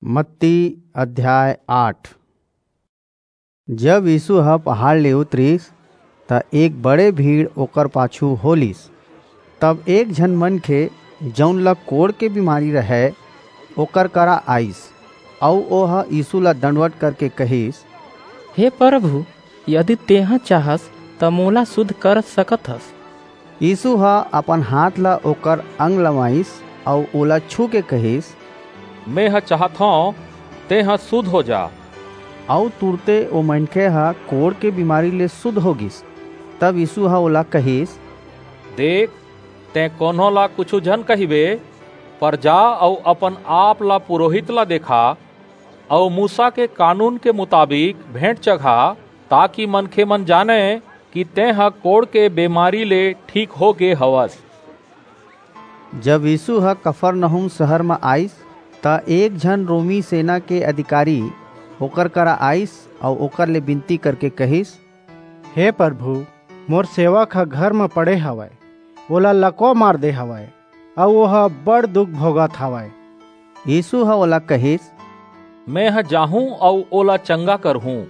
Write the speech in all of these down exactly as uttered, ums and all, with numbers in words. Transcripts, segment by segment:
मत्ती अध्याय आठ। जब यीसू ह पहाड़ ले उतरिस, त एक बड़े भीड़ ओकर पाछू हो लीस। तब एक झन मनखे, जऊन ला कोढ़ के बीमारी रहय, ओकर करा आईस, अऊ ओह यीसू ला दंडवत करके कहिस, "हे परभू, यदि तेंह चाहस, त मोला सुध कर सकत हस।" यीसू ह अपन हांथ ला ओकर अंग लमाईस अऊ ओला छू के कहिस, "मेंह चाहत हंव, तेंह सुध हो जा।" अऊ तुरते ओ मनखे ह कोढ़ के बीमारी ले सुध हो गीस। तब यीसू ह ओला कहिस, "देख, तें कोनो ला कुछू झन कहिबे, पर जा अऊ अपन आप ला पुरोहित ला देखा, अऊ मूसा के कानून के मुताबिक भेंट चघा, ताकि मनखेमन जानंय कि तेंह कोढ़ के बेमारी ले ठीक हो गे हवस।" जब यीसू ह कफरनहूम सहर म आईस, त एक झन रोमी सेना के अधिकारी ओकर करा आईस अऊ ओकर ले बिनती करके कहिस, "हे परभू, मोर सेवक ह घर म पड़े हवय, ओला लकवा मार दे हवय, अऊ ओह बड़ दुख भोगत हवय।" यीसू ह ओला कहिस, "मेंह जाहूं अऊ ओला चंगा करहूं।"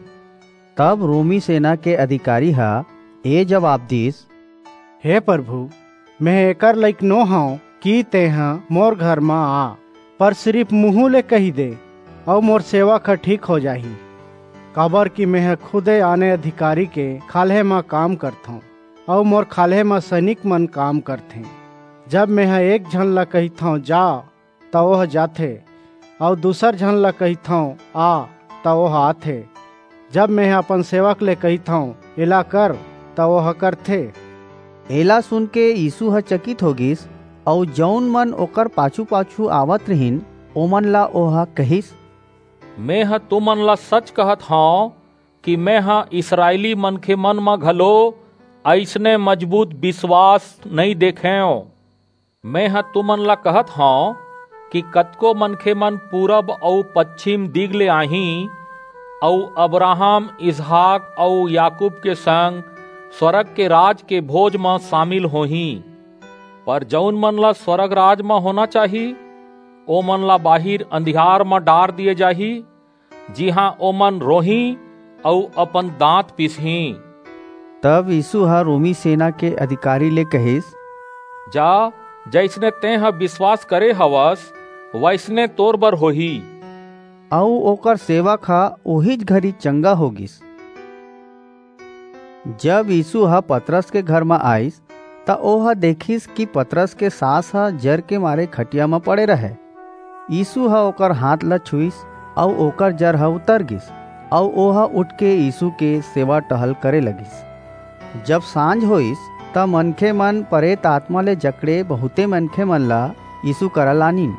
तब रोमी सेना के अधिकारी ह ए जबाब दीस, "हे परभू, मेंह एकर लइक नो हंव कि तेंह मोर घर म आ, पर सिरिप मुहूं ले कहि दे, अऊ मोर सेवक ह ठीक हो जाही। काबरकि मेंह खुदे आने अधिकारी के खाल्हे म काम करथंव, अऊ मोर खाल्हे म सैनिकमन काम करथें। जब मेंह एक झन ला कहिथंव, 'जा,' त ओह जाथे, अऊ दूसर झन ला कहिथंव, 'आ,' त ओह आथे। जब मेंह अपन सेवक ले कहिथंव, 'एला कर,' त ओह करथे।" एला सुनके यीसू ह चकित हो गीस, अऊ जऊन मन ओकर पाछू-पाछू आवत रिहिन, ओमन ला ओह कहिस, "मेंह तुमन ला सच कहत हंव कि मेंह इसरायली मनखेमन म घलो अइसने मजबूत बिसवास नइं देखेंव।" मेंह तुमन ला कहत हंव कि कतको मनखेमन पूरब अऊ पछिम दिग ले आहीं, अऊ अब्राहम, इसहाक अऊ याकूब के संग स्‍वरग के राज के भोज म सामिल होहीं। पर जऊन मन ला स्‍वरग राज म होना चाही, ओमन ला बाहिर अंधियार म डार दिये जाही, जिहां ओमन रोहीं अऊ अपन दांत पीसहीं। तब यीसू ह रोमी सेना के अधिकारी ले कहिस, "जा, जइसने तेंह बिसवास करे हवस, वइसने तोर बर होही।" अऊ ओकर सेवक ह ओहीच घरी चंगा हो गीस। जब यीसू ह पतरस के घर म आईस, त ओह देखिस कि पतरस के सास ह जर के मारे खटिया म पड़े रहय। यीसू ह ओकर हाथ ल छुईस, अऊ ओकर जर ह उतर गीस, अऊ ओह उठके यीसू के सेवा टहल करे लगिस। जब सांझ होईस, त मनखेमन परेत आतमा ले जकड़े बहुंते मनखेमन ला यीसू करा लानिन।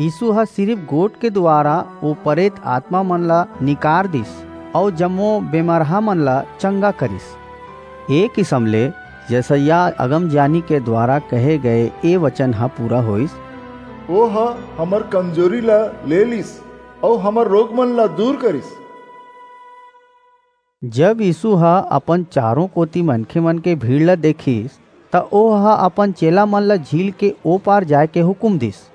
यीसू ह सिरिप गोठ के दुवारा ओ परेत आतमामन ला निकार दीस, अऊ जम्मो बेमरहामन ला चंगा करिस। ए किसम ले यसायाह अगमजानी के दुवारा कहे गय ए बचन ह पूरा होईस, "ओह हमर कमजोरी ला ले लीस, अऊ हमर रोगमन ला दूर करिस।" जब यीसू ह अपन चारों कोति मनखेमन के भीड़ ला देखिस, त ओह अपन चेलामन ला झील के ओ पार जाय के हुकूम दीस।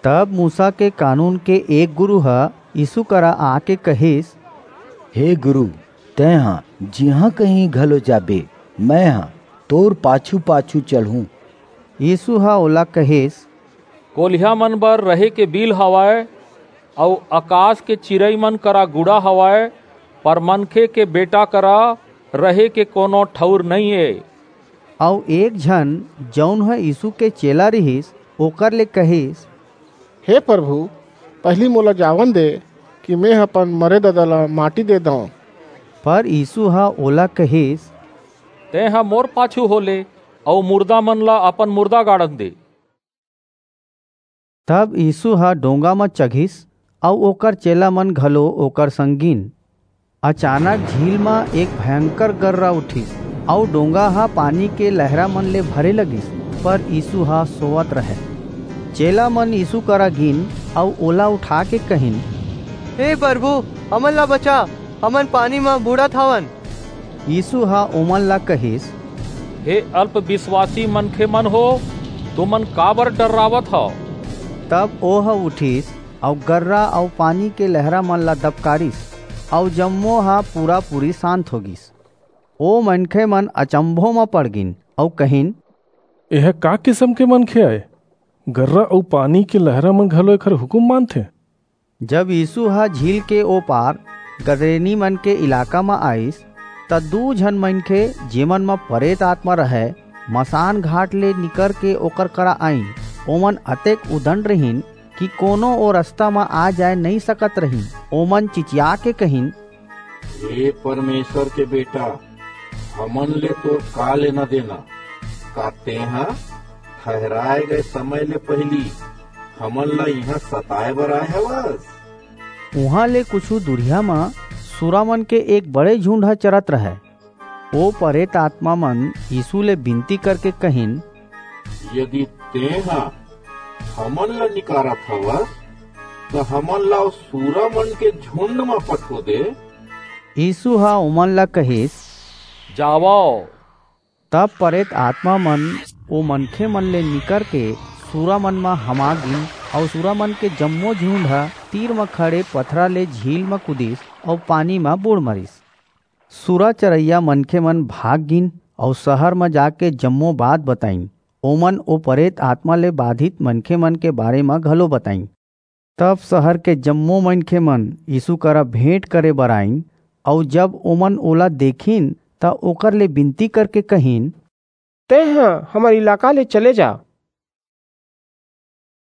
तब मूसा के कानून के एक गुरू ह यीसू करा आके कहिस, "हे गुरू, तेंह जिहां कहीं घलो जाबे, मेंह तोर पाछू-पाछू चलहूं।" यीसू ह ओला कहिस, "कोलिहामन बर रहे के बिल हवय, अऊ अकास के चिरईमन करा गुड़ा हवय, पर मनखे के बेटा करा रहे के कोनो ठऊर नइं ए।" अऊ एक झन, जऊन ह यीसू के चेला रिहिस, ओकर ले कहिस, "हे परभू, पहिली मोला जावन दे कि मेंह अपन मरे ददा ला माटी दे दंव।" पर यीसू ह ओला कहिस, "तेंह मोर पाछू हो ले, अऊ मुरदामन ला अपन मुरदा गाड़न दे।" तब यीसू ह डोंगा म चघिस, अऊ ओकर चेलामन घलो ओकर संग गीन। अचानक झील म एक भयंकर गर्रा उठिस, अऊ डोंगा ह पानी के लहरामन ले भरे लगिस, पर यीसू ह सोवत रहय। चेलामन यीसू करा गीन, अऊ ओला उठाके कहिन, "हे परभू, हमन ला बचा, हमन पानी म बूड़त हवन।" यीसू ह ओमन ला कहिस, "हे अल्प बिसवासी मनखेमन हो, तुमन काबर डर्रावत हव?" तब ओह उठिस, अऊ गर्रा अऊ पानी के लहरा मन ला दबकारिस, अऊ जम्मो ह पूरा-पूरी शांत हो गीस। ओ मनखे मन अचंभो म पड़ गीन, अऊ कहिन, "एह का किसम के मनखे आय? गर्रा अऊ पानी के लहरा मन घलो एखर हुकूम मानथे।" जब यीसू ह झील के ओ पार गदरेनी मन के इलाका म आईस, त दू झन मनखे, जेमन म परेत आतमा रहय, मसान घाट ले निकरके ओकर करा आईन। ओमन अतेक उदंड रहिन कि कोनो ओ रसता म आ जाय नइं सकत रहिन। ओमन चिचियाके कहिन, "हे परमेसर के बेटा, हमन ले तोर का लेना देना? का तेंह ठहिराय गय समय ले पहिली हमन ला इहां सताय बर आय हवस?" उहां ले कुछू दूरिहा म सुरामन के एक बड़े झुंड ह चरत रहय। ओ परेत आतमा मन यीसू ले बिनती करके कहिन, "यदि तेंह हमन ला निकारत हवस, त हमन ला ओ सुरामन के झुंड म पठो दे।" यीसू ह ओमन ला कहिस, "जावव।" तब परेत आतमा मन ओ मनखे मन ले निकरके सुरामन म हमा गीन, अऊ सुरामन के जम्मो झुंड ह तीर म खड़े पथरा ले झील म कूदिस, अऊ पानी म बूड़ मरिस। सुरा चरइया मनखे मन भाग गीन, अऊ सहर म जाके जम्मो बात बताईन। ओमन ओ परेत आतमा ले बाधित मनखे मन के बारे म घलो बताईन। तब सहर के जम्मो मनखे मन यीसू करा भेंट करे बर आईन, अऊ जब ओमन ओला देखिन, त ओकर ले बिनती करके कहिन, "तेंह हमर इलाका ले चले जा,